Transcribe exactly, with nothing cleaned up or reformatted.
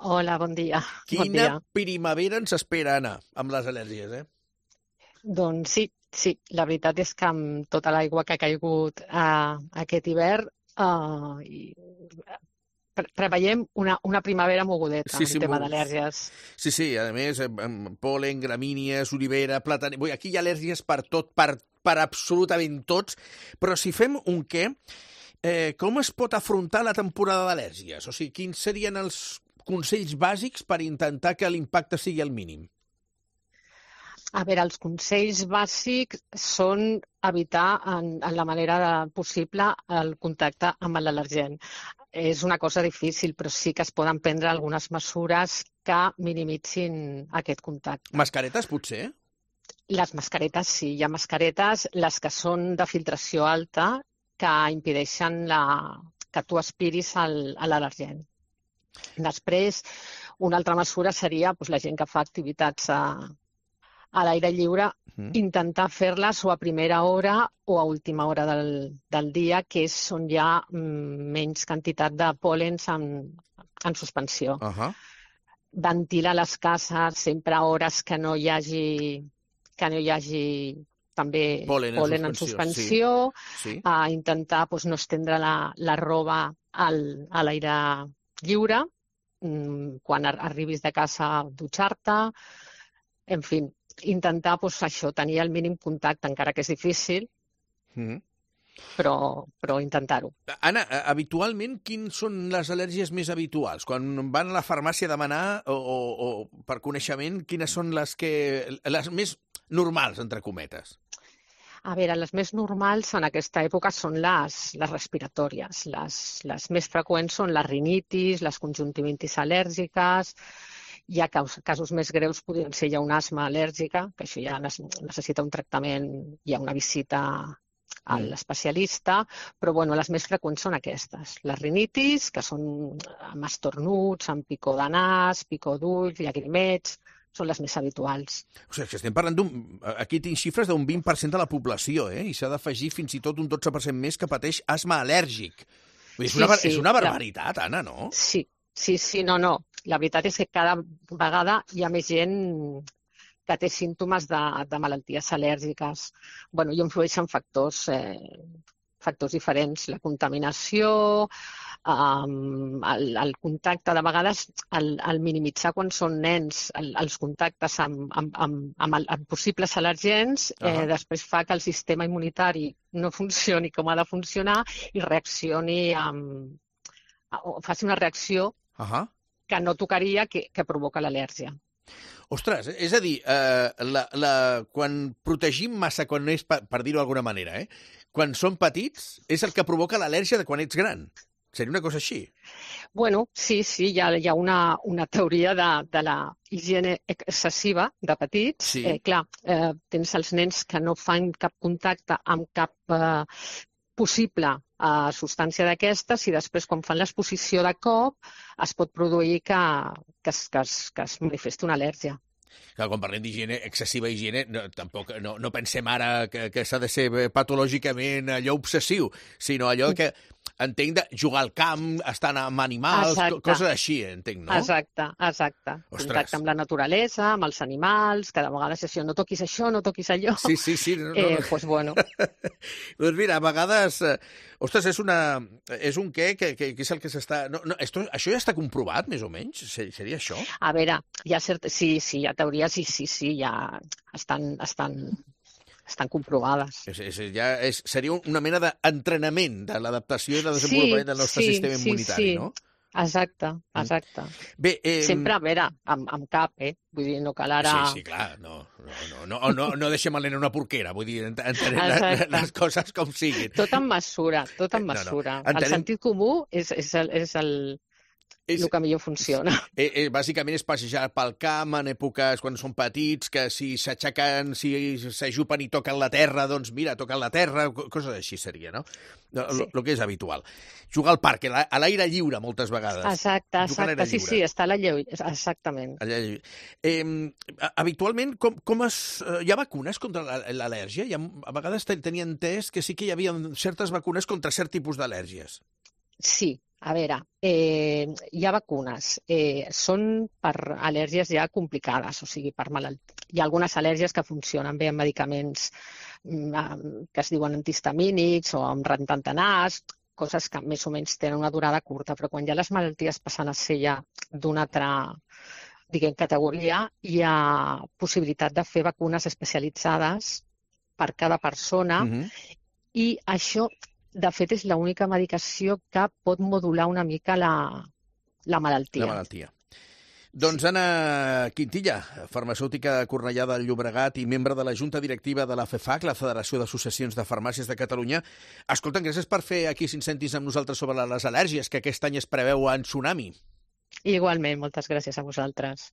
Hola, bon dia. Bon Quina dia. primavera ens espera, Anna, amb les al·lèrgies, eh? Doncs sí, sí, la veritat és que amb tota l'aigua que ha caigut eh, aquest hivern eh, i pre preveiem una, una primavera mogudeta Sí, sí, en tema mo- d'al·lèrgies. sí, sí, a més, amb, amb pol·len, gramínies, olivera, plàtan... Vull dir, aquí hi ha al·lèrgies per tot, per, per absolutament tots, però si fem un què, eh, com es pot afrontar la temporada d'al·lèrgies? O sigui, quins serien els consells bàsics per intentar que l'impacte sigui el mínim? A veure, els consells bàsics són evitar en, en la manera de, possible el contacte amb l'al·lergen. És una cosa difícil, però sí que es poden prendre algunes mesures que minimitzin aquest contacte. Mascaretes, potser? Les mascaretes, sí, hi ha mascaretes, les que són de filtració alta, que impedeixen la, que tu aspiris al, a l'al·lergen. Després, una altra mesura seria doncs, la gent que fa activitats a, a l'aire lliure, Mm. intentar fer-les o a primera hora o a última hora del, del dia, que és on hi ha mm, menys quantitat de pòl·lens en, en suspensió. Uh -huh. Ventilar les cases sempre a hores que no hi hagi, que no hi hagi també Pol·len en pol·len en suspensió, suspensió, sí. Sí. a intentar doncs, no estendre la, la roba al, a l'aire lliure, mm, quan ar arribis de casa a dutxar-te, en fi, intentar doncs, això, tenir el mínim contacte, encara que és difícil, Mm -hmm. però, però intentar-ho. Anna, habitualment, quines són les al·lèrgies més habituals? Quan van a la farmàcia a demanar, o, o, o per coneixement, quines són les, que, les més normals, entre cometes? A veure, les més normals en aquesta època són les, les respiratòries. Les, les més freqüents són les rinitis, les conjuntivitis al·lèrgiques. Hi ha casos més greus, podrien ser ja una asma al·lèrgica, que això ja necessita un tractament, hi ha una visita a l'especialista, però bueno, les més freqüents són aquestes. Les rinitis, que són amb estornuts, amb picor de nas, picor d'ulls, llagrimets, són les més habituals. O sigui, que estem parlant d'un... Aquí tinc xifres d'un vint per cent de la població, eh? I s'ha d'afegir fins i tot un dotze per cent més que pateix asma al·lèrgic. Vull dir, és, Sí, una, sí, és una clar. barbaritat, Anna, no? Sí, sí, sí, no, no. La veritat és que cada vegada hi ha més gent que té símptomes de, de malalties al·lèrgiques. Bueno, i influeixen factors, eh, factors diferents. La contaminació, um, el, el contacte, de vegades, el, el minimitzar quan són nens el, els contactes amb, amb, amb, amb, el, amb possibles al·lergens, eh, Uh-huh. després fa que el sistema immunitari no funcioni com ha de funcionar i reaccioni amb, o faci una reacció Uh -huh. que no tocaria, que, que provoca l'al·lèrgia. Ostres, és a dir, eh, la, la, quan protegim massa, quan és, per, per dir-ho d'alguna manera, eh, quan són petits, és el que provoca l'al·lèrgia de quan ets gran. Seria una cosa així? Bueno, sí, sí, hi ha, hi ha una, una teoria de, de la higiene excessiva de petits. Sí. Eh, clar, eh, tens els nens que no fan cap contacte amb cap eh, possible eh, substància d'aquestes i després, quan fan l'exposició de cop, es pot produir que, que, es, que, es, que es manifesti una al·lèrgia. Clar, quan parlem d'higiene, excessiva higiene, no, tampoc no, no pensem ara que, que s'ha de ser patològicament allò obsessiu, sinó allò que entenc de jugar al camp, estar amb animals, Exacte. coses així, entenc, no? Exacte, exacte. Ostres. Contacte amb la naturalesa, amb els animals, que de vegades és això, no toquis això, no toquis allò. Sí, sí, sí. No, no. Eh, pues bueno. Doncs mira, a vegades... Eh, ostres, és, una, és un què que, que, que és el que s'està... No, no, esto, això ja està comprovat, més o menys? Seria això? A veure, hi ha cert... sí, sí, hi ha teories i sí, sí, ja estan, estan, estan comprovades. És, és, ja és, seria una mena d'entrenament de l'adaptació i de desenvolupament Sí, del nostre sí, sistema sí, immunitari, sí. no? Exacte, exacte. Bé, eh... Sempre, a veure, amb, amb cap, eh? Vull dir, no cal ara... Sí, sí, clar, no, no, no, no, no, no deixem el nen en una porquera, vull dir, entenem les, les coses com siguin. Tot amb mesura, tot amb No, no. mesura. Entenem- El sentit comú és, és, el, és el, És, el que millor funciona. eh, eh, bàsicament és passejar pel camp en èpoques quan són petits, que si s'aixequen, si s'ajupen i toquen la terra, doncs mira, toquen la terra, co- coses així seria, no? El Sí. que és habitual. Jugar al parc, a la- a l'aire lliure, moltes vegades. Exacte, Jugar a l'aire exacte. Sí, lliure. sí, està a la lleu... Exactament. Allà, eh, habitualment, com, com es, eh, hi ha vacunes contra la- l'al·lèrgia? Hi ha, a vegades ten- tenia entès que sí que hi havia certes vacunes contra cert tipus d'al·lèrgies. Sí, A veure, eh, hi ha vacunes. Eh, són per al·lèrgies ja complicades, o sigui, per malalt... Hi ha algunes al·lèrgies que funcionen bé amb medicaments mm, que es diuen antihistamínics o amb rentant de nas, coses que més o menys tenen una durada curta, però quan ja les malalties passen a ser ja d'una altra, diguem, categoria, hi ha possibilitat de fer vacunes especialitzades per cada persona Mhm. i això, de fet, és l'única medicació que pot modular una mica la, la malaltia. La malaltia. Doncs Anna Quintilla, farmacèutica de Cornellà del Llobregat i membre de la Junta Directiva de la FEFAC, la Federació d'Associacions de Farmàcies de Catalunya. Escolta, gràcies per fer aquí cinc cèntims amb nosaltres sobre les al·lèrgies, que aquest any es preveu en tsunami. Igualment, moltes gràcies a vosaltres.